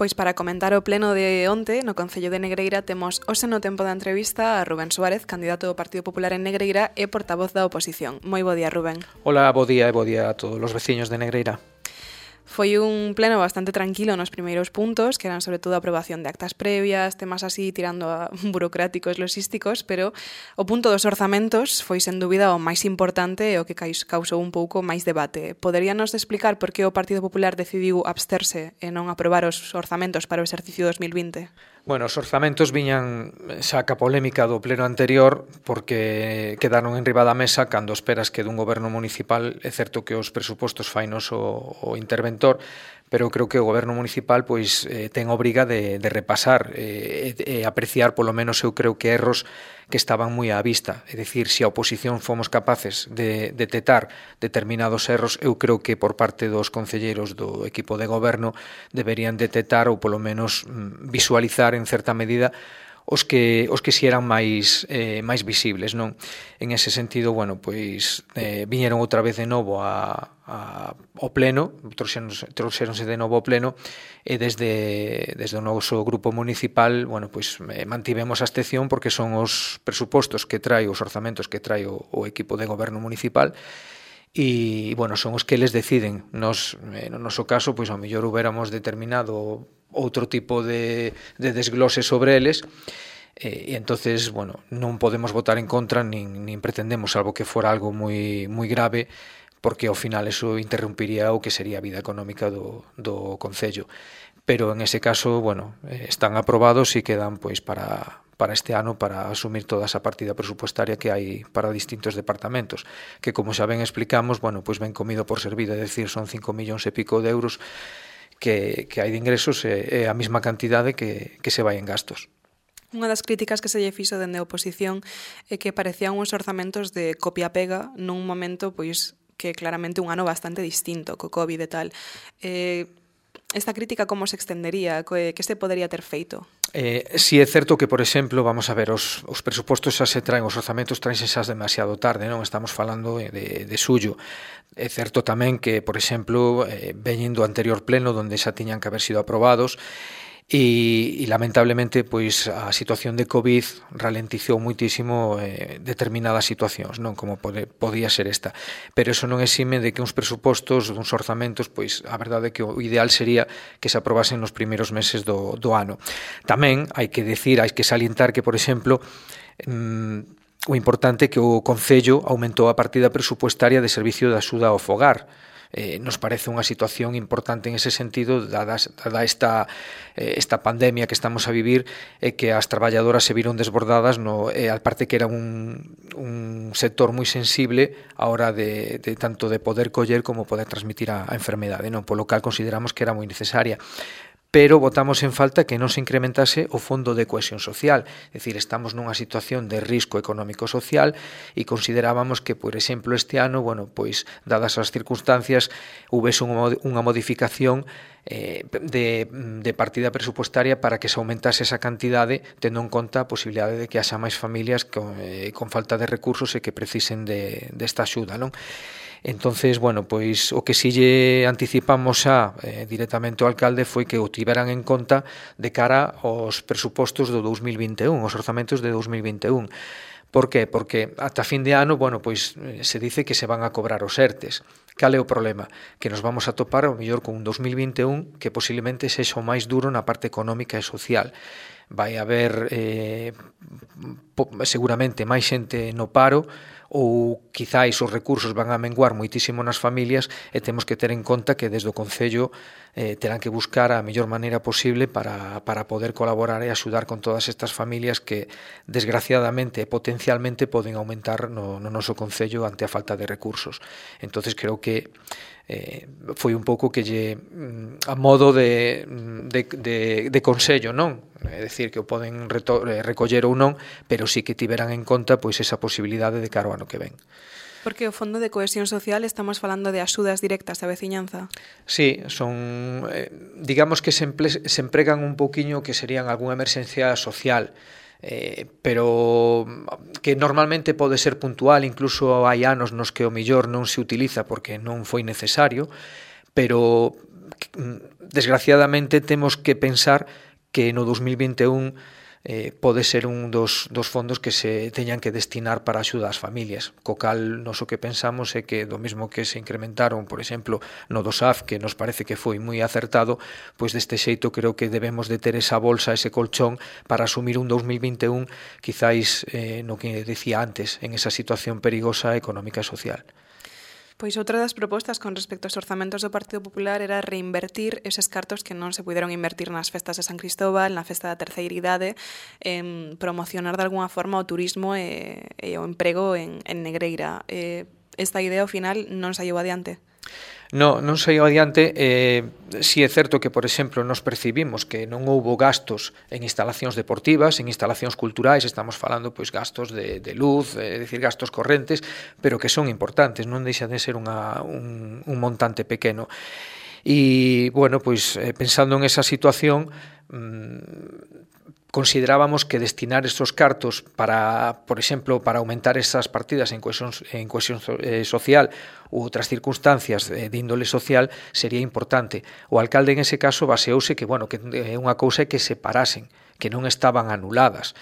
Pois para comentar o pleno de onte no Concello de Negreira temos hoxe no tempo da entrevista a Rubén Suárez, candidato do Partido Popular en Negreira e portavoz da oposición. Moi bo día, Rubén. Hola, bo día e bo día a todos os veciños de Negreira. Foi un pleno bastante tranquilo nos primeiros puntos, que eran sobre todo a aprobación de actas previas, temas así tirando a burocráticos, logísticos, pero o punto dos orzamentos foi sen dúbida o máis importante e o que causou un pouco máis debate. Poderíanos explicar por que o Partido Popular decidiu absterse e non aprobar os orzamentos para o exercicio 2020? Bueno, os orzamentos viñan xa ca polémica do pleno anterior porque quedaron en riba da mesa cando esperas que dun goberno municipal. É certo que os presupostos fainos o interventor, pero creo que o goberno municipal pois ten obriga de repasar e apreciar polo menos eu creo que erros que estaban moi á vista. É dicir, se a oposición fomos capaces de detectar determinados erros, eu creo que por parte dos concelleiros do equipo de goberno deberían detectar ou polo menos visualizar en certa medida os que si eran máis visibles, non? En ese sentido, bueno, pois viñeron outra vez de novo ao pleno, trouxéronse de novo ao pleno e desde o noso grupo municipal, bueno, pois mantivemos a abstención porque son os presupostos que trae, os orzamentos que trae o equipo de goberno municipal. E, bueno, son os que eles deciden. Nos, no noso caso, pois ao mellor huberamos determinado outro tipo de desglose sobre eles e entonces, bueno, non podemos votar en contra nin pretendemos, salvo que fora algo moi grave, porque ao final eso interrumpiría o que sería a vida económica do Concello. Pero en ese caso, bueno, están aprobados e quedan pois para este ano para asumir toda esa partida presupuestaria que hai para distintos departamentos, que como xa ben explicamos, bueno, pois ben comido por servido, é dicir, son 5 millóns e pico de euros que hai de ingresos e a mesma cantidade que se vai en gastos. Unha das críticas que se lle fixo dende a oposición é que parecían uns orzamentos de copia-pega nun momento pois que claramente un ano bastante distinto co COVID e tal. Esta crítica como se extendería? Que se podería ter feito? Si é certo que, por exemplo, vamos a ver, os presupostos xa se traen, os orzamentos traense xa demasiado tarde, non? Estamos falando de xullo. É certo tamén que, por exemplo, veñen do anterior pleno onde xa tiñan que haber sido aprobados e lamentablemente pois a situación de COVID ralentizou muitísimo determinadas situacións, non como podía ser esta, pero eso non exime de que uns presupostos, uns orzamentos, pois a verdade é que o ideal sería que se aprobasen nos primeiros meses do ano. Tamén hai que decir, hai que salientar que, por exemplo, o importante é que o Concello aumentou a partida presupuestaria de servicio de axuda ao fogar. Nos parece unha situación importante en ese sentido, dada esta pandemia que estamos a vivir e que as traballadoras se viron desbordadas, aparte que era un sector moi sensible a hora de tanto de poder coller como poder transmitir a enfermedade, non? Polo cal consideramos que era moi necesaria. Pero votamos en falta que non se incrementase o fondo de cohesión social. É dicir, estamos nunha situación de risco económico-social e considerábamos que, por exemplo, este ano, bueno, pois, dadas as circunstancias, houvese unha modificación de partida presupuestaria para que se aumentase esa cantidade, tendo en conta a posibilidade de que haxa máis familias con falta de recursos e que precisen desta axuda, non? Entonces, bueno, pois o que si lle anticipamos xa directamente ao alcalde foi que o tiveran en conta de cara aos presupostos do 2021, os orzamentos de 2021. Por qué? Porque ata fin de ano, bueno, pois se dice que se van a cobrar os ERTES. Cal é o problema? Que nos vamos a topar ao mellor con un 2021 que posiblemente sexa o máis duro na parte económica e social. Vai haber seguramente máis xente no paro ou quizáis os recursos van a menguar moitísimo nas familias e temos que ter en conta que desde o Concello terán que buscar a mellor maneira posible para poder colaborar e axudar con todas estas familias que desgraciadamente e potencialmente poden aumentar no noso Concello ante a falta de recursos. Entonces creo que foi un pouco que lle a modo de consello, non? É dicir, que o poden recoller ou non, pero sí que tiveran en conta pois esa posibilidade de cara ao ano que ven. Porque o Fondo de Cohesión Social estamos falando de axudas directas á veciñanza. Sí, son, digamos que se empregan un pouquiño que serían algunha emerxencia social. pero que normalmente pode ser puntual, incluso hai anos nos que o millor non se utiliza porque non foi necesario, pero desgraciadamente temos que pensar que no 2021 pode ser un dos fondos que se teñan que destinar para axuda ás familias, co cal nos o que pensamos é que do mesmo que se incrementaron, por exemplo, no do SAF, que nos parece que foi moi acertado, pois deste xeito creo que debemos de ter esa bolsa, ese colchón para asumir un 2021 quizáis no que decía antes, en esa situación perigosa económica e social. Pois outra das propostas con respecto aos orzamentos do Partido Popular era reinvertir eses cartos que non se puderon invertir nas festas de San Cristóbal, na festa da terceira idade, en promocionar de alguna forma o turismo e o emprego en Negreira. Esta idea ao final non saiu adiante? Non saiu adiante. Si é certo que, por exemplo, nos percibimos que non houbo gastos en instalacións deportivas, en instalacións culturais, estamos falando pois gastos de luz, é dicir, gastos correntes, pero que son importantes, non deixa de ser un montante pequeno. E, bueno, pois pensando en esa situación, considerábamos que destinar estos cartos para, por exemplo, para aumentar esas partidas en cohesión social ou outras circunstancias de índole social sería importante. O alcalde en ese caso baseouse que, bueno, que unha cousa é que se parasen, que non estaban anuladas.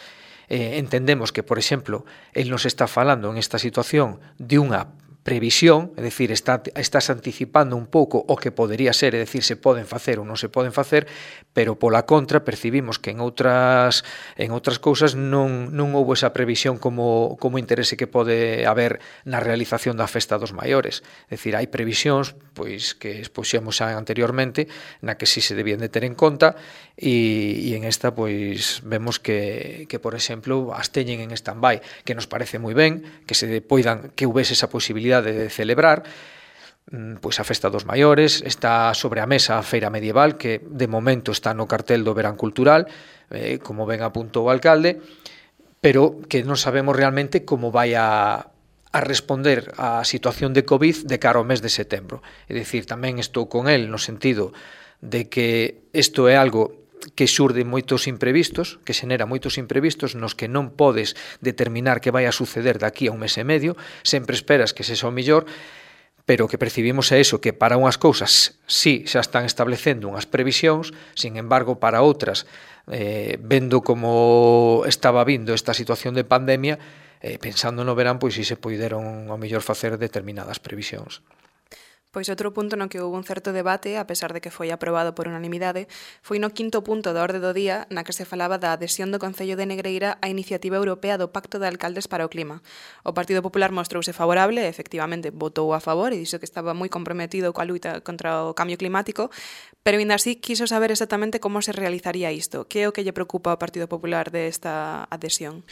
Entendemos que, por exemplo, el nos está falando en esta situación de unha previsión, é dicir, estás anticipando un pouco o que podería ser, é dicir, se poden facer ou non se poden facer, pero pola contra percibimos que en outras cousas non houbo esa previsión como interese que pode haber na realización da festa dos maiores. É dicir, hai previsións pois que expuxemos xa anteriormente na que si se debían de ter en conta e en esta pois vemos que por exemplo as teñen en stand-by, que nos parece moi ben que houvese esa posibilidade de celebrar pois a festa dos maiores. Está sobre a mesa a feira medieval que de momento está no cartel do verán cultural, como ben apuntou o alcalde, pero que non sabemos realmente como vai a responder á situación de COVID de cara ao mes de setembro. É dicir, tamén estou con el no sentido de que isto é algo que xurde moitos imprevistos, que xenera moitos imprevistos nos que non podes determinar que vai a suceder daqui a un mes e medio, sempre esperas que sexa o mellor, pero que percibimos é eso, que para unhas cousas sí xa están establecendo unhas previsións, sin embargo para outras, vendo como estaba vindo esta situación de pandemia, pensando no verán, pois si se poideron ao mellor facer determinadas previsións. Pois outro punto no que houve un certo debate, a pesar de que foi aprobado por unanimidade, foi no quinto punto da orde do día na que se falaba da adhesión do Concello de Negreira á iniciativa europea do Pacto de Alcaldes para o Clima. O Partido Popular mostrouse favorable, efectivamente votou a favor e dixo que estaba moi comprometido coa luita contra o cambio climático, pero ainda así quiso saber exactamente como se realizaría isto. Que é o que lle preocupa ao Partido Popular desta adhesión?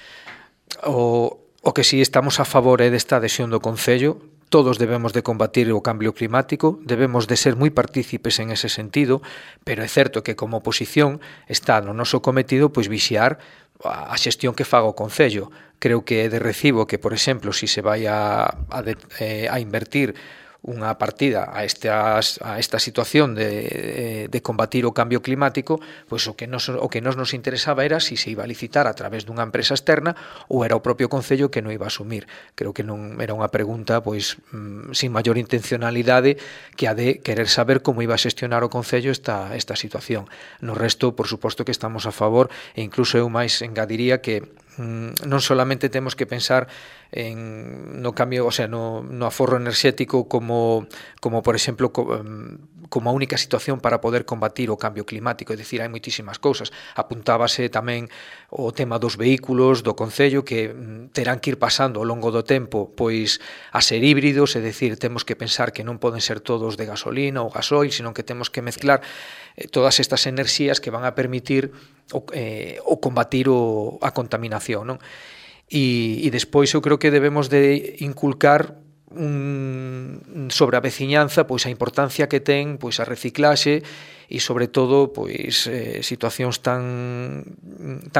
O que si estamos a favor é desta adhesión do Concello. Todos debemos de combatir o cambio climático, debemos de ser moi partícipes en ese sentido, pero é certo que como oposición está no noso cometido pois vixiar a xestión que faga o Concello. Creo que é de recibo que, por exemplo, si se vai a invertir unha partida a esta situación de combatir o cambio climático, pois o que nos interesaba era si se iba a licitar a través dunha empresa externa ou era o propio Concello que non iba a asumir. Creo que non era unha pregunta pois sin maior intencionalidade que a de querer saber como iba a xestionar o Concello esta situación. No resto, por suposto que estamos a favor e incluso eu máis engadiría que non solamente temos que pensar no cambio, o sea, no aforro enerxético como por exemplo como a única situación para poder combatir o cambio climático, é dicir, hai moitísimas cousas. Apuntábase tamén o tema dos vehículos do Concello que terán que ir pasando ao longo do tempo pois a ser híbridos, é dicir, temos que pensar que non poden ser todos de gasolina ou gasoil, senón que temos que mezclar todas estas enerxías que van a permitir o combatir a contaminación, non? E despois eu creo que debemos de inculcar sobre a veciñanza pois a importancia que ten pois a reciclaxe e sobre todo pois situacións tan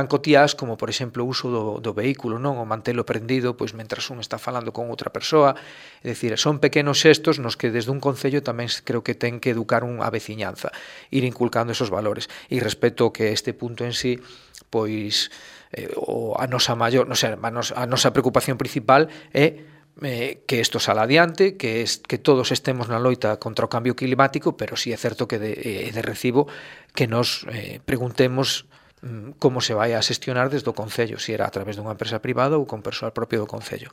cotiás como por exemplo o uso do vehículo, non? O mantelo prendido pois mentras un está falando con outra persoa, é dicir, son pequenos xestos nos que desde un concello tamén creo que ten que educar a veciñanza, ir inculcando esos valores. E respecto que este punto en sí pois a nosa maior, non sei, a nosa preocupación principal é que isto sala adiante, que todos estemos na loita contra o cambio climático, pero sí é certo que de recibo que nos preguntemos como se vai a xestionar desde o Concello, se era a través dunha empresa privada ou con persoal propio do Concello.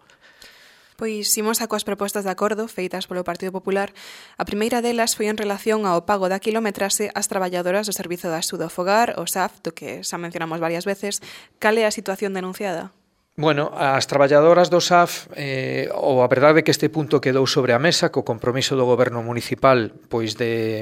Pois imos a coas propostas de acordo feitas polo Partido Popular. A primeira delas foi en relación ao pago da quilometrase ás traballadoras do Servizo de Axuda ao Fogar, o SAF, do que xa mencionamos varias veces. Cal é a situación denunciada? Bueno, as traballadoras do SAF, a verdade é que este punto quedou sobre a mesa co compromiso do goberno municipal pois de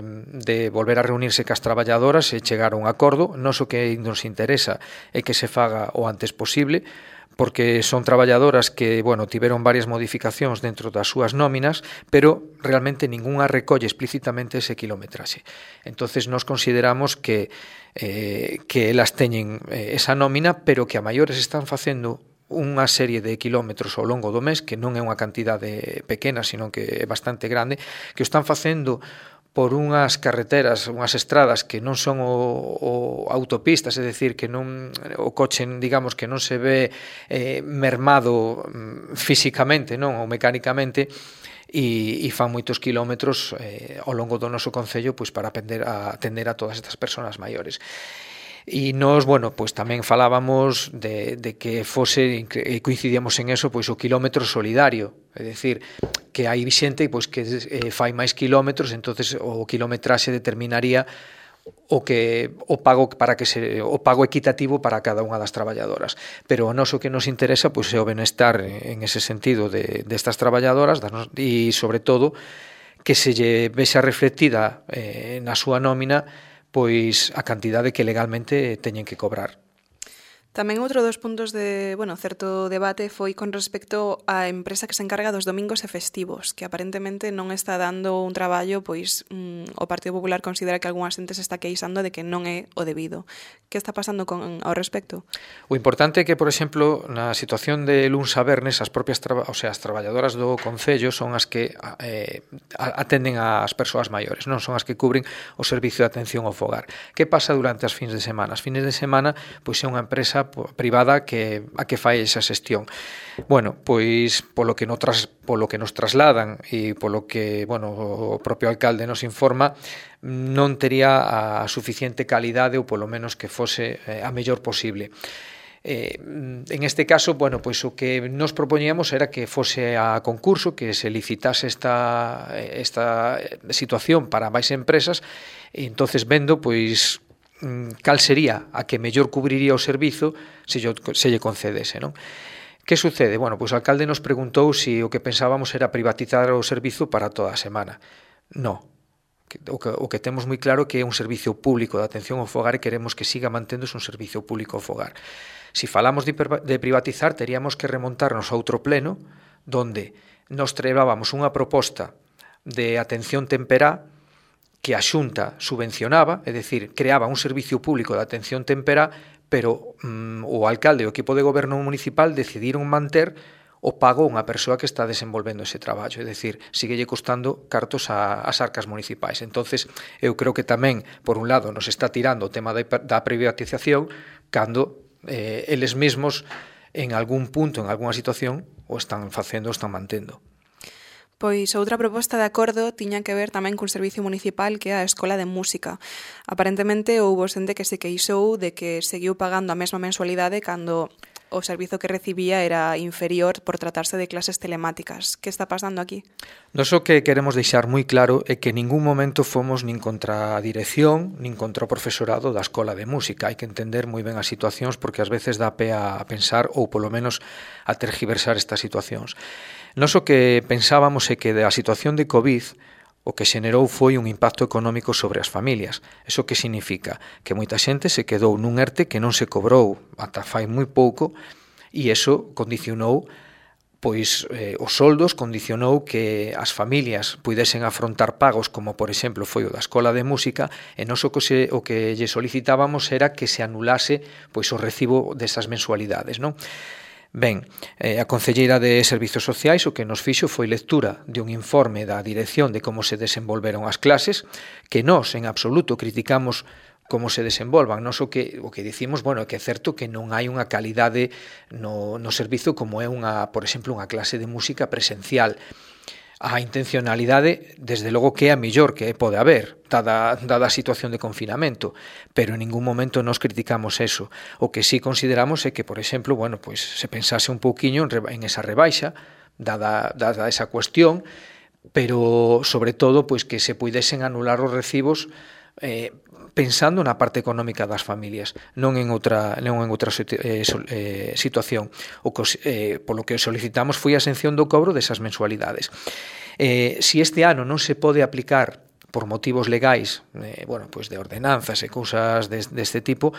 volver a reunirse cas traballadoras e chegar a un acordo. Nos o que nos interesa é que se faga o antes posible, porque son traballadoras que, bueno, tiveron varias modificacións dentro das súas nóminas, pero realmente ningunha recolle explícitamente ese quilometraxe. Entonces nos consideramos que elas teñen esa nómina, pero que a maiores están facendo unha serie de kilómetros ao longo do mes, que non é unha cantidade pequena, sino que é bastante grande, que o están facendo por unhas carreteras, unhas estradas que non son o autopistas, é dicir, que non o coche, digamos, que non se ve mermado físicamente, non, ou mecánicamente, e fan moitos kilómetros ao longo do noso concello pois para atender a todas estas persoas maiores. E nos, bueno, pois tamén falábamos de que fose, e coincidíamos en eso, pois o quilómetro solidario, é dicir, que hai xente pois que fai máis kilómetros, entonces o quilometraxe determinaría o pago equitativo para cada unha das traballadoras. Pero o noso que nos interesa pois é o benestar en ese sentido destas traballadoras e sobre todo que se lle vexa reflectida na súa nómina pois a cantidade que legalmente teñen que cobrar. Tamén outro dos puntos de, certo debate foi con respecto á empresa que se encarga dos domingos e festivos, que aparentemente non está dando un traballo, pois o Partido Popular considera que algunha xente se está queixando de que non é o debido. Que está pasando ao respecto? O importante é que, por exemplo, na situación de luns a vernes, as propias as traballadoras do Concello son as que atenden ás persoas maiores, non son as que cubren o servicio de atención ao fogar. Que pasa durante as fins de semana? As fins de semana, pois é unha empresa privada a que fai esa xestión. Bueno, pois polo que nos trasladan e polo que, o propio alcalde nos informa, non tería a suficiente calidade ou polo menos que fose a mellor posible. En este caso, pois o que nos propoñíamos era que fose a concurso, que se licitase esta situación para máis empresas, e entonces vendo, pois, cal sería a que mellor cubriría o servizo se lle concedese, non? Que sucede? Pois o alcalde nos preguntou se o que pensábamos era privatizar o servizo para toda a semana. Non. O que temos moi claro que é un servicio público de atención ao fogar e queremos que siga manténdose un servicio público ao fogar. Se falamos de privatizar, teríamos que remontarnos a outro pleno donde nos traíamos unha proposta de atención temperá que a Xunta subvencionaba, é dicir, creaba un servicio público de atención temperá, pero o alcalde e o equipo de goberno municipal decidiron manter o pago a unha persoa que está desenvolvendo ese traballo, é dicir, síguelle costando cartos ás arcas municipais. Entonces, eu creo que tamén, por un lado, nos está tirando o tema da privatización, cando eles mesmos, en algún punto, en algunha situación, o están facendo, o están mantendo. Pois outra proposta de acordo tiña que ver tamén cun servicio municipal que é a Escola de Música. Aparentemente houbo xente que se queixou de que seguiu pagando a mesma mensualidade cando o servizo que recibía era inferior por tratarse de clases telemáticas. Que está pasando aquí? Nos o que queremos deixar moi claro é que en ningún momento fomos nin contra a dirección, nin contra o profesorado da Escola de Música. Hai que entender moi ben as situacións porque ás veces dá pé a pensar ou polo menos a tergiversar estas situacións. Nos o que pensábamos é que a situación de COVID o que xenerou foi un impacto económico sobre as familias. Eso que significa? Que moita xente se quedou nun ERTE que non se cobrou ata fai moi pouco e eso condicionou pois os soldos, condicionou que as familias puidesen afrontar pagos como, por exemplo, foi o da Escola de Música e nos o que lle solicitábamos era que se anulase pois o recibo desas mensualidades, non? Ben, a Concelleira de Servizos Sociais o que nos fixo foi lectura de un informe da dirección de como se desenvolveron as clases, que nós en absoluto criticamos como se desenvolvan. Nos o que dicimos, bueno, que é certo que non hai unha calidade no servizo como é por exemplo, unha clase de música presencial. A intencionalidade, desde logo que é a mellor que pode haber, dada a situación de confinamento, pero en ningún momento nos criticamos eso. O que sí consideramos é que, por exemplo, bueno, pues se pensase un pouquiño en esa rebaixa, dada esa cuestión, pero sobre todo pues que se puidesen anular os recibos pensando na parte económica das familias, non en outra situación. Polo que solicitamos foi a exención do cobro desas mensualidades. Si este ano non se pode aplicar por motivos legais, pues de ordenanzas e cousas deste tipo,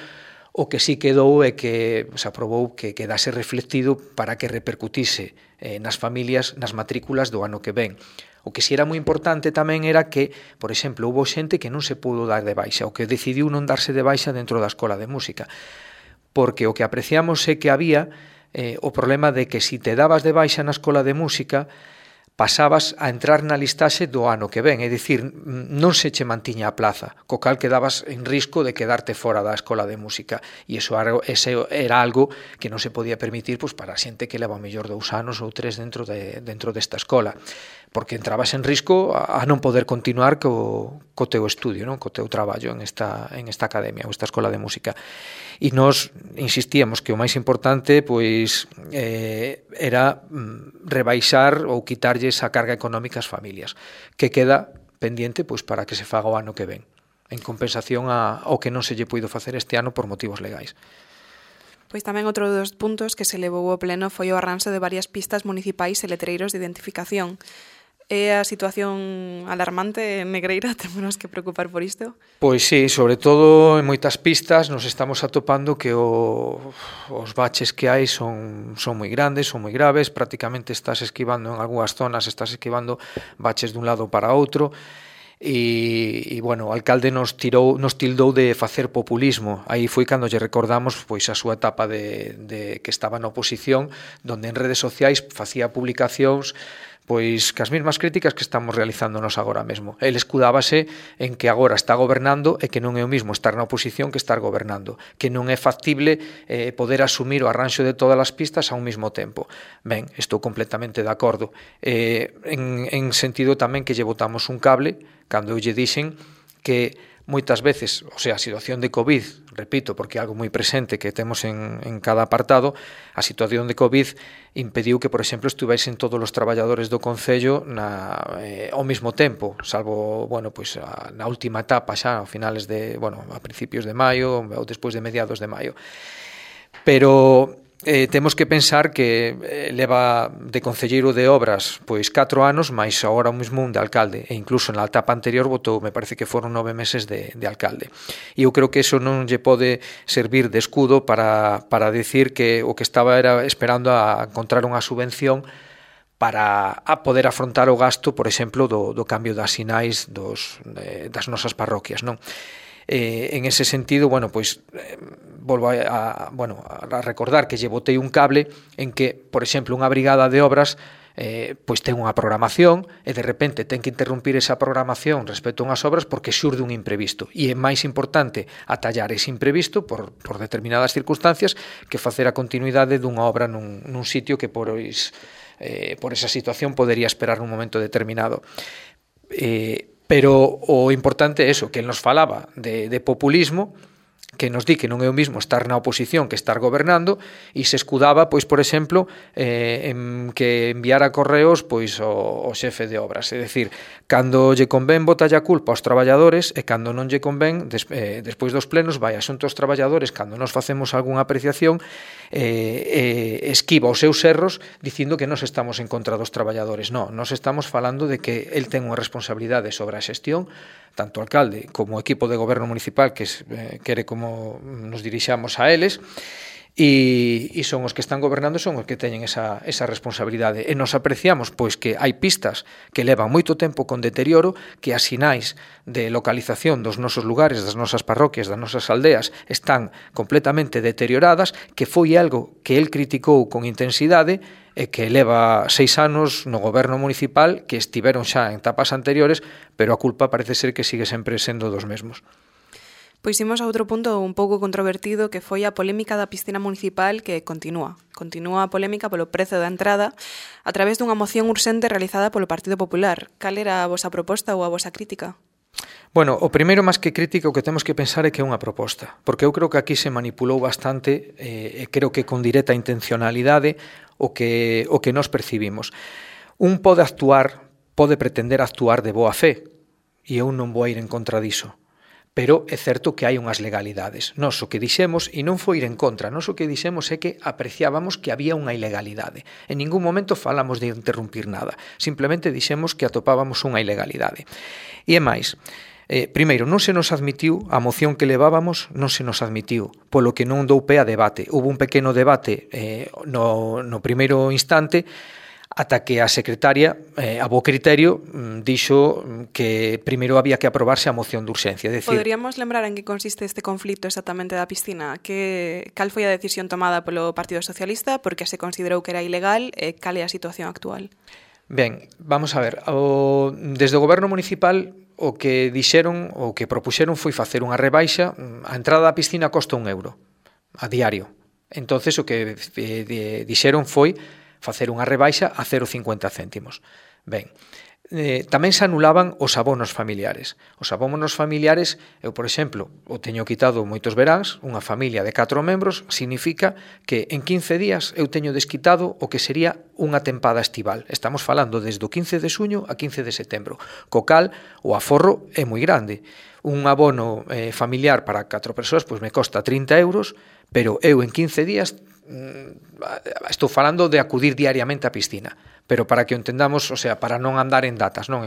o que sí quedou é que se aprobou que quedase reflectido para que repercutise nas familias, nas matrículas do ano que ven. O que si era moi importante tamén era que, por exemplo, houve xente que non se pudo dar de baixa, o que decidiu non darse de baixa dentro da escola de música, porque o que apreciamos é que había o problema de que si te dabas de baixa na escola de música, pasabas a entrar na listaxe do ano que ven, é dicir, non se che mantiña a plaza, co cal quedabas en risco de quedarte fora da escola de música, e ese era algo que non se podía permitir pues, para a xente que leva mellor 2 anos ou 3 dentro desta escola, porque entrabas en risco a non poder continuar co teu estudio, non? Co teu traballo en esta academia ou esta escola de música. E nós insistíamos que o máis importante pois era rebaixar ou quitarlle esa carga económica ás familias, que queda pendiente pois para que se faga o ano que ven, en compensación ao que non se lle puido facer este ano por motivos legais. Pois tamén outro dos puntos que se levou ao pleno foi o arranxo de varias pistas municipais e letreiros de identificación. É a situación alarmante en Negreira? Temos que preocupar por isto? Pois sí, sobre todo en moitas pistas nos estamos atopando que os baches que hai son moi grandes, son moi graves, prácticamente estás esquivando en algunhas zonas, estás esquivando baches dun lado para outro, e bueno, o alcalde nos tildou de facer populismo. Aí foi cando lle recordamos pois a súa etapa de que estaba na oposición, donde en redes sociais facía publicacións pois cas mesmas críticas que estamos realizándonos agora mesmo. El escudábase en que agora está gobernando e que non é o mismo estar na oposición que estar gobernando, que non é factible poder asumir o arranxo de todas as pistas a un mesmo tempo. Ben, estou completamente de acordo. En sentido tamén que lle botamos un cable cando eu lle dixen que moitas veces, o sea, a situación de COVID, repito, porque é algo moi presente que temos en cada apartado, a situación de COVID impediu que, por exemplo, estuvesen todos os traballadores do Concello ao mesmo tempo, salvo, bueno, pues na última etapa xa, a finales de, bueno, a principios de maio ou despois de mediados de maio. Pero temos que pensar que leva de concelleiro de obras pois 4 anos, máis agora mesmo un de alcalde, e incluso na etapa anterior votou, me parece que foron 9 meses de alcalde. E eu creo que eso non lle pode servir de escudo para decir que o que estaba era esperando a encontrar unha subvención para poder afrontar o gasto, por exemplo, do cambio das sinais das nosas parroquias, non? En ese sentido, bueno, pois volvo a recordar que lle botei un cable en que, por exemplo, unha brigada de obras pois ten unha programación e de repente ten que interrumpir esa programación respecto a unhas obras porque xurde un imprevisto, e é máis importante atallar ese imprevisto por determinadas circunstancias que facer a continuidade dunha obra nun sitio que por esa situación podería esperar nun momento determinado. Pero o importante é eso, que nos falaba de populismo, que nos di que non é o mismo estar na oposición que estar gobernando, e se escudaba, pois, por exemplo, en que enviara correos pois o xefe de obras. É dicir, cando lle convén botalle a culpa aos traballadores e cando non lle convén, despois dos plenos, vai asunto aos traballadores, cando nos facemos algunha apreciación, esquiva os seus erros dicindo que nos estamos en contra dos traballadores. Non, nos estamos falando de que el ten unha responsabilidade sobre a xestión, tanto o alcalde como o equipo de goberno municipal que quere como nos dirixamos a eles, e son os que están gobernando, son os que teñen esa responsabilidade, e nos apreciamos pois que hai pistas que levan moito tempo con deterioro, que as sinais de localización dos nosos lugares, das nosas parroquias, das nosas aldeas están completamente deterioradas, que foi algo que el criticou con intensidade e que leva 6 anos no goberno municipal, que estiveron xa en etapas anteriores, pero a culpa parece ser que sigue sempre sendo dos mesmos. Pois imos a outro punto un pouco controvertido, que foi a polémica da piscina municipal, que continúa. Continúa a polémica polo prezo da entrada a través dunha moción urxente realizada polo Partido Popular. Cal era a vosa proposta ou a vosa crítica? Bueno, o primeiro, máis que crítica, o que temos que pensar é que é unha proposta, porque eu creo que aquí se manipulou bastante, e creo que con directa intencionalidade, o que nós percibimos. Un pode pretender actuar de boa fe, e eu non vou ir en contra diso. Pero é certo que hai unhas legalidades. Nós o que dixemos, e non foi ir en contra, nós o que dixemos é que apreciábamos que había unha ilegalidade. En ningún momento falamos de interrumpir nada. Simplemente dixemos que atopábamos unha ilegalidade. E é máis, primeiro, non se nos admitiu, a moción que levábamos non se nos admitiu, polo que non dou pé a debate. Hubo un pequeno debate no primeiro instante, ata que a secretaria, a bo criterio, dixo que primeiro había que aprobarse a moción de urxencia. Poderíamos lembrar en que consiste este conflito exactamente da piscina? Cal foi a decisión tomada polo Partido Socialista? Porque se considerou que era ilegal? Cal é a situación actual? Ben, vamos a ver. Desde o Goberno Municipal o que dixeron, o que propuxeron foi facer unha rebaixa. A entrada da piscina costa €1 a diario. Entonces o que dixeron foi facer unha rebaixa a 0,50 céntimos. Ben, tamén se anulaban os abonos familiares. Os abonos familiares, eu, por exemplo, o teño quitado moitos veráns, unha familia de 4 membros, significa que en 15 días eu teño desquitado o que sería unha tempada estival. Estamos falando desde o 15 de suño a 15 de setembro, co cal o aforro é moi grande. Un abono familiar para 4 persoas pois me costa €30, pero eu en 15 días estou falando de acudir diariamente á piscina, pero para que o entendamos, o sea, para non andar en datas, non,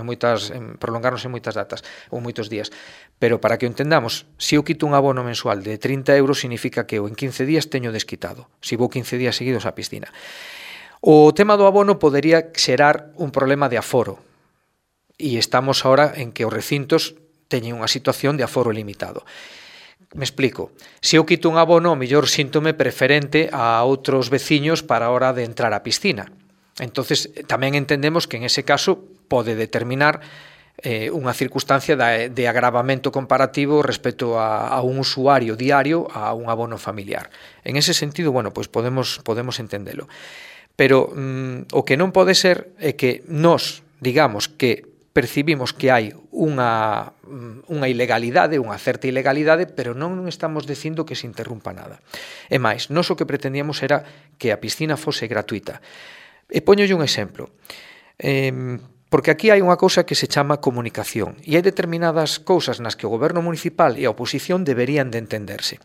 prolongarnos en moitas datas ou moitos días, pero para que o entendamos, se eu quito un abono mensual de €30 significa que eu en 15 días teño desquitado, se vou 15 días seguidos á piscina. O tema do abono podería xerar un problema de aforo, e estamos ahora en que os recintos teñen unha situación de aforo limitado. Me explico. Se eu quito un abono, o mellor síntome preferente a outros veciños para a hora de entrar á piscina. Entonces, tamén entendemos que en ese caso pode determinar unha circunstancia de agravamento comparativo respecto a un usuario diario a un abono familiar. En ese sentido, bueno, pois podemos entendelo. Pero o que non pode ser é que nós, digamos que percibimos que hai unha ilegalidade, unha certa ilegalidade, pero non estamos dicindo que se interrumpa nada. E máis, nós o que pretendíamos era que a piscina fose gratuita. E poñolle un exemplo, porque aquí hai unha cousa que se chama comunicación, e hai determinadas cousas nas que o goberno municipal e a oposición deberían de entenderse.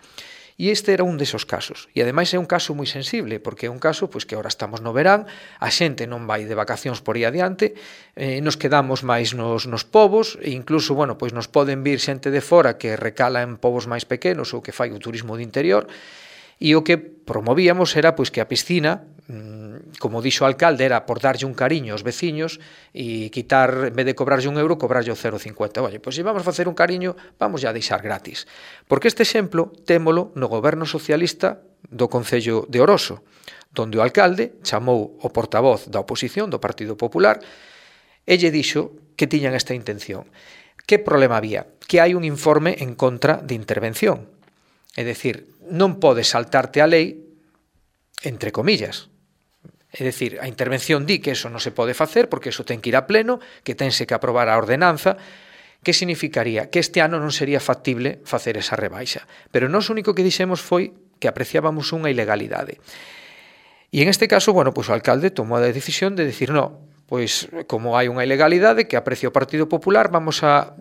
E este era un desos casos. E ademais é un caso moi sensible, porque é un caso pois que agora estamos no verán, a xente non vai de vacacións por aí adiante, nos quedamos máis nos povos, e incluso, bueno, pois nos poden vir xente de fora que recala en povos máis pequenos ou que fai o turismo de interior, e o que promovíamos era pois que a piscina, como dixo o alcalde, era por darlle un cariño aos veciños e quitar, en vez de cobrarlle €1, cobrarlle o 0,50. Oye, pois se vamos facer un cariño, vamos a deixar gratis. Porque este exemplo témolo no goberno socialista do Concello de Oroso, donde o alcalde chamou o portavoz da oposición do Partido Popular e lle dixo que tiñan esta intención. Que problema había? Que hai un informe en contra de intervención. É dicir, non podes saltarte a lei, entre comillas. É dicir, a intervención di que eso non se pode facer porque eso ten que ir a pleno, que tense que aprobar a ordenanza. Que significaría? Que este ano non sería factible facer esa rebaixa. Pero nós o único que dixemos foi que apreciábamos unha ilegalidade. E en este caso, bueno, pois o alcalde tomou a decisión de decir, no, pois como hai unha ilegalidade que aprecia o Partido Popular, vamos a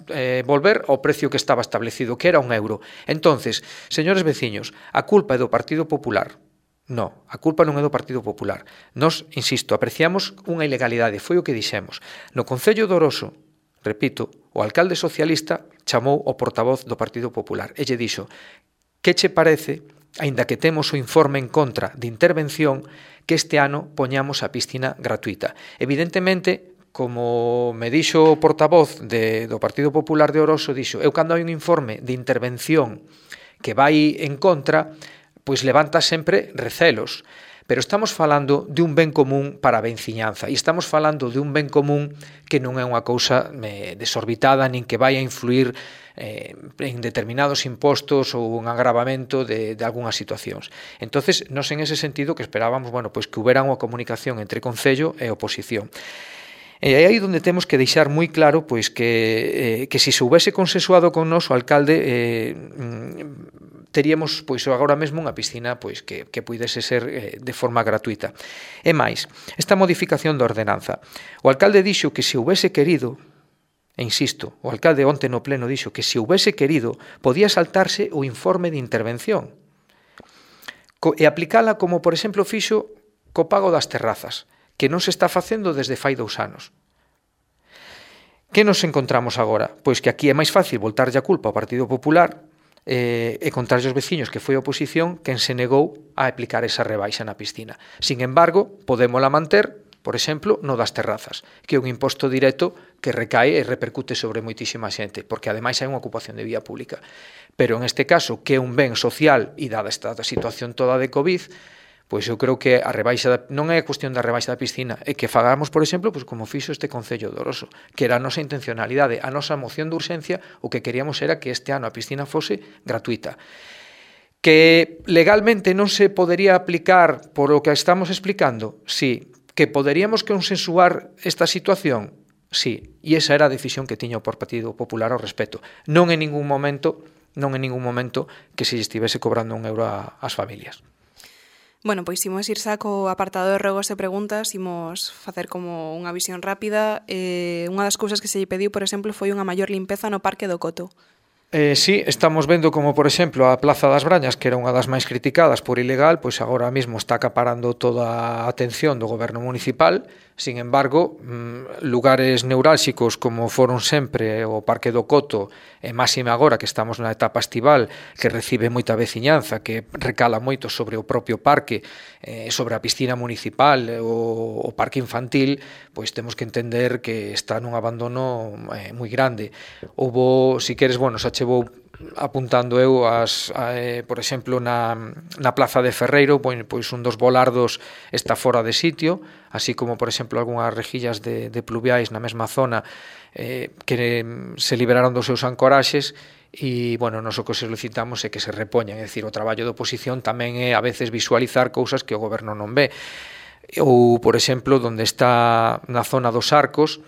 volver ao precio que estaba establecido, que era €1. Entonces, señores veciños, a culpa é do Partido Popular. No, a culpa non é do Partido Popular. Nós, insisto, apreciamos unha ilegalidade, foi o que dixemos. No Concello de Oroso, repito, o alcalde socialista chamou o portavoz do Partido Popular e lle dixo, que che parece, aínda que temos o informe en contra de intervención, que este ano poñamos a piscina gratuita? Evidentemente, como me dixo o portavoz do Partido Popular de Oroso, dixo, eu cando hai un informe de intervención que vai en contra, pois levanta sempre recelos. Pero estamos falando de un ben común para a venciñanza e estamos falando de un ben común que non é unha cousa desorbitada nin que vai a influir en determinados impostos ou un agravamento de algunhas situacións. Entonces, nos en ese sentido que esperábamos, bueno, pois que houbera unha comunicación entre Concello e oposición. E aí onde temos que deixar moi claro pois que se houvese consensuado con nos o alcalde teríamos pois agora mesmo unha piscina pois que puidese ser de forma gratuita. E máis, esta modificación da ordenanza. O alcalde dixo que se houvese querido, e insisto, o alcalde onte no pleno dixo que se houvese querido podía saltarse o informe de intervención e aplicala como, por exemplo, fixo co pago das terrazas, que non se está facendo desde fai 2 anos. Que nos encontramos agora? Pois que aquí é máis fácil voltarlle a culpa ao Partido Popular e contarlle aos veciños que foi a oposición quen se negou a aplicar esa rebaixa na piscina. Sin embargo, podémola manter, por exemplo, no das terrazas, que é un imposto directo que recae e repercute sobre moitísima xente, porque ademais hai unha ocupación de vía pública. Pero en este caso, que é un ben social e dada esta situación toda de COVID, pois eu creo que a rebaixa non é a cuestión da rebaixa da piscina, é que fagamos, por exemplo, pois como fixo este Concello de Oroso, que era a nosa intencionalidade, a nosa moción de urxencia, o que queríamos era que este ano a piscina fose gratuita. Que legalmente non se podería aplicar por o que estamos explicando? Sí. Que poderíamos consensuar esta situación? Sí. E esa era a decisión que tiña o Partido Popular ao respecto. Non en ningún momento que se estivese cobrando un euro ás familias. Bueno, pois imos ir xa co apartado de ruegos e preguntas, imos facer como unha visión rápida. Unha das cousas que se lle pediu, por exemplo, foi unha maior limpeza no Parque do Coto. Sí, estamos vendo como, por exemplo, a Plaza das Brañas, que era unha das máis criticadas por ilegal, pois agora mesmo está acaparando toda a atención do goberno municipal. Sin embargo, lugares neurálxicos como foron sempre o Parque do Coto, e máxime agora que estamos na etapa estival, que recibe moita veciñanza, que recala moito sobre o propio parque, sobre a piscina municipal, o parque infantil, pois temos que entender que está nun abandono moi grande. Houbo, si queres, bueno, xa che vou apuntando eu por exemplo na Plaza de Ferreiro, pois un dos volardos está fora de sitio, así como por exemplo algunhas rejillas de pluviais na mesma zona que se liberaron dos seus ancoraxes e, bueno, nos o que solicitamos é que se repoñan, é dicir, o traballo de oposición tamén é a veces visualizar cousas que o goberno non ve. Ou, por exemplo, onde está na zona dos Arcos,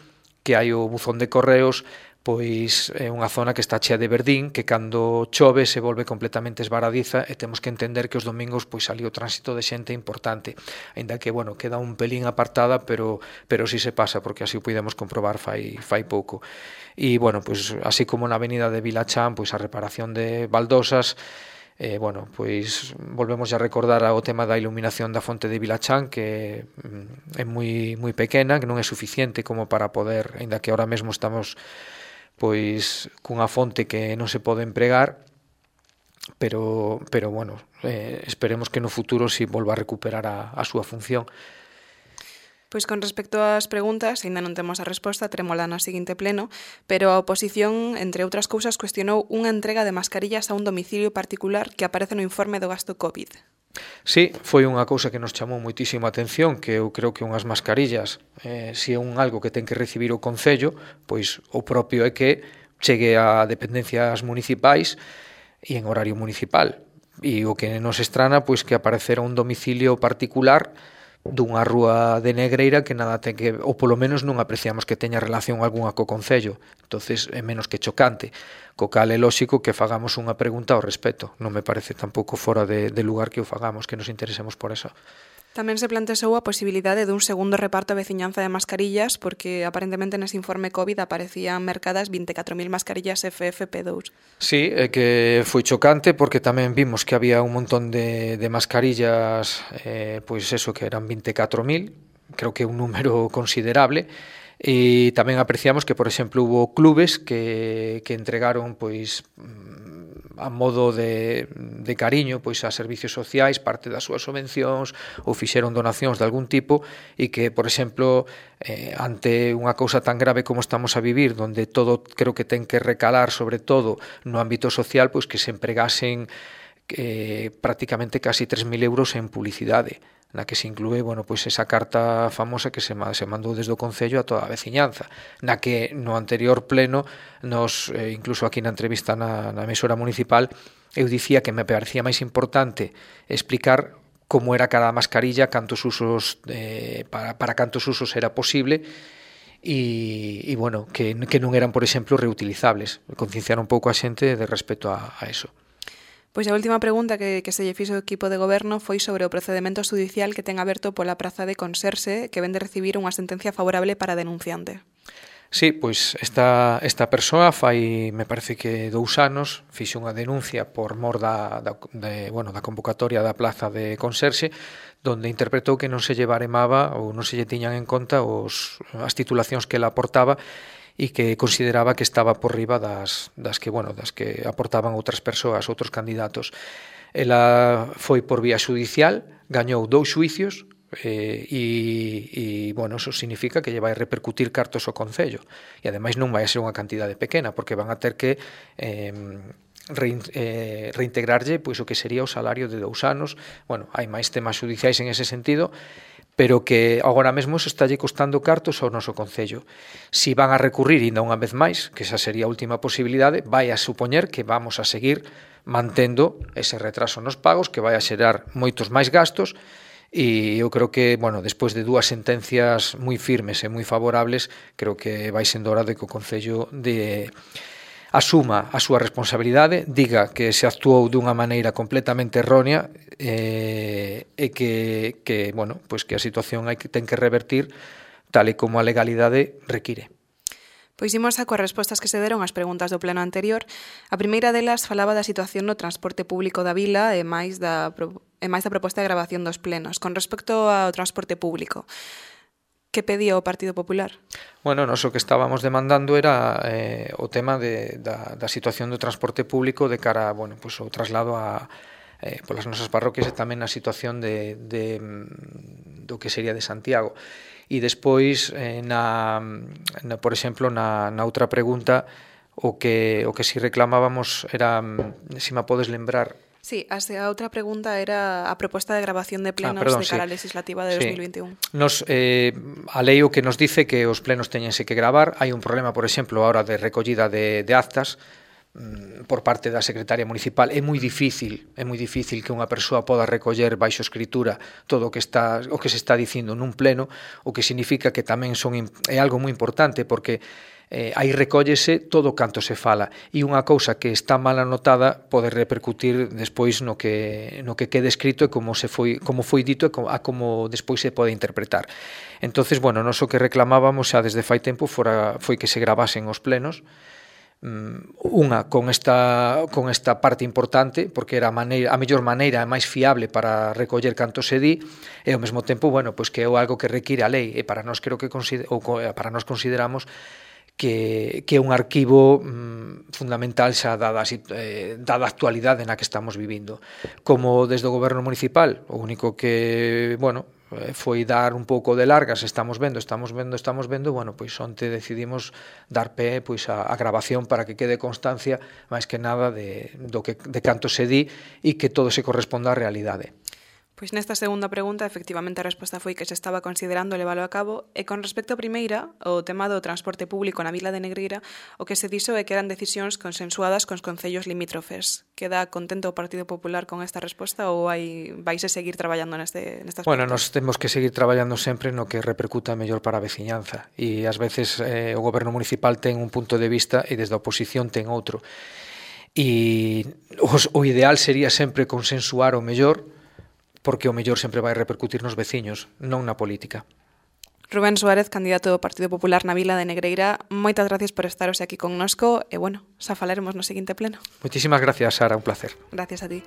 que hai o buzón de correos, pois é unha zona que está chea de verdín, que cando chove se volve completamente esvaradiza e temos que entender que os domingos pois ali o tránsito de xente é importante, aínda que, bueno, queda un pelín apartada, pero si se pasa, porque así o podemos comprobar fai pouco. E, bueno, pois así como na avenida de Vilachán, pois a reparación de baldosas, bueno, pois volvemos a recordar o tema da iluminación da fonte de Vilachán, que é moi pequena, que non é suficiente como para poder, aínda que ahora mesmo estamos pois cunha fonte que non se pode empregar, pero bueno, esperemos que no futuro si volva a recuperar a súa función. Pois con respecto ás preguntas, aínda non temos a resposta, terémola no seguinte pleno, pero a oposición, entre outras cousas, cuestionou unha entrega de mascarillas a un domicilio particular que aparece no informe do gasto COVID. Sí, foi unha cousa que nos chamou moitísima atención, que eu creo que unhas mascarillas, se é algo que ten que recibir o Concello, pois o propio é que chegue a dependencias municipais e en horario municipal. E o que nos estrana, pois que aparecera un domicilio particular dunha rúa de Negreira que nada ten que, ou polo menos non apreciamos que teña relación algunha co Concello. Entonces é menos que chocante, co cal é lóxico que fagamos unha pregunta ao respecto. Non me parece tampouco fora de lugar que o fagamos, que nos interesemos por eso. Tamén se plantexou a posibilidade dun segundo reparto a veciñanza de mascarillas, porque aparentemente nese informe COVID aparecían mercadas 24.000 mascarillas FFP2. Sí, é que foi chocante porque tamén vimos que había un montón de mascarillas, pois eso, que eran 24.000, creo que é un número considerable, e tamén apreciamos que, por exemplo, hubo clubes que entregaron, pois, a modo de cariño pois a servicios sociais parte das súas subvencións ou fixeron donacións de algún tipo e que, por exemplo, ante unha cousa tan grave como estamos a vivir, donde todo creo que ten que recalar sobre todo no ámbito social, pois que se empregasen prácticamente casi 3.000 euros en publicidade, na que se inclúe, bueno, pois esa carta famosa que se mandou desde o Concello a toda a veciñanza, na que no anterior pleno nos, incluso aquí na entrevista na emisora municipal, eu dicía que me parecía máis importante explicar como era cada mascarilla, cantos usos para cantos usos era posible, e bueno, que non eran, por exemplo, reutilizables, concienciar un pouco a xente de respecto a eso. Pois a última pregunta que se lle fixo o equipo de goberno foi sobre o procedemento judicial que ten aberto pola praza de Conserxe, que ven de recibir unha sentencia favorable para a denunciante. Sí, pois esta persoa fai, me parece que 2 anos, fixe unha denuncia por mor da convocatoria da plaza de Conserxe, donde interpretou que non se lle baremaba ou non se lle tiñan en conta as titulacións que ela aportaba e que consideraba que estaba por riba das que aportaban outras persoas, outros candidatos. Ela foi por vía judicial, gañou 2 xuicios, e bueno, eso significa que lle vai repercutir cartos ao Concello, e ademais non vai a ser unha cantidade pequena, porque van a ter que reintegrarlle pois o que sería o salario de 2 anos. Bueno, hai máis temas judiciais en ese sentido, pero que agora mesmo se estalle costando cartos ao noso Concello. Si van a recurrir ainda unha vez máis, que esa sería a última posibilidade, vai a supoñer que vamos a seguir mantendo ese retraso nos pagos, que vai a xerar moitos máis gastos, e eu creo que, bueno, despois de 2 sentencias moi firmes e moi favorables, creo que vai sendo hora de que o Concello asuma a súa responsabilidade, diga que se actuou dunha maneira completamente errónea, e que bueno, pois que a situación ten que revertir tal e como a legalidade require. Pois imos a coas respostas que se deron ás preguntas do pleno anterior. A primeira delas falaba da situación no transporte público da vila e máis da proposta de gravación dos plenos. Con respecto ao transporte público, que pedía o Partido Popular? Bueno, nós o que estábamos demandando era o tema da situación do transporte público de cara, bueno, pois ao traslado polas nosas parroquias e tamén a situación do que sería de Santiago. E despois, por exemplo, na outra pregunta, o que si reclamábamos era, se me podes lembrar. Sí, a outra pregunta era a proposta de grabación de plenos de cara á legislativa de 2021. A lei o que nos dice que os plenos teñense que gravar. Hai un problema, por exemplo, a hora de recollida de actas por parte da secretaria municipal. É moi difícil que unha persoa poda recoller baixo escritura todo o que se está dicindo nun pleno, o que significa que tamén é algo moi importante, porque aí recóllese todo canto se fala, e unha cousa que está mal anotada pode repercutir despois no que quede escrito e como foi dito e a como despois se pode interpretar. Entonces, bueno, nós o que reclamábamos xa desde fai tempo foi que se gravasen os plenos, unha con esta parte importante, porque era a mellor maneira e máis fiable para recoller canto se di, e ao mesmo tempo, bueno, pois que é algo que require a lei, e para nós consideramos que é un arquivo fundamental xa dada a actualidade na que estamos vivindo. Como desde o goberno municipal, o único que, bueno, foi dar un pouco de largas, estamos vendo, bueno, pois onte decidimos dar pé pois a grabación para que quede constancia máis que nada de canto se di e que todo se corresponda á realidade. Pois nesta segunda pregunta, efectivamente, a resposta foi que se estaba considerando leválo a cabo, e con respecto á primeira, o tema do transporte público na vila de Negreira, o que se dixo é que eran decisións consensuadas cos concellos limítrofes. Queda contento o Partido Popular con esta resposta ou vais a seguir traballando neste aspecto? Bueno, nós temos que seguir traballando sempre no que repercuta mellor para a veciñanza, e ás veces o goberno municipal ten un punto de vista e desde a oposición ten outro. E o ideal sería sempre consensuar o mellor, porque o mellor sempre vai repercutir nos veciños, non na política. Rubén Suárez, candidato do Partido Popular na vila de Negreira, moitas gracias por estar hoxe aquí connosco, e bueno, xa falaremos no seguinte pleno. Moitísimas gracias, Sara, un placer. Gracias a ti.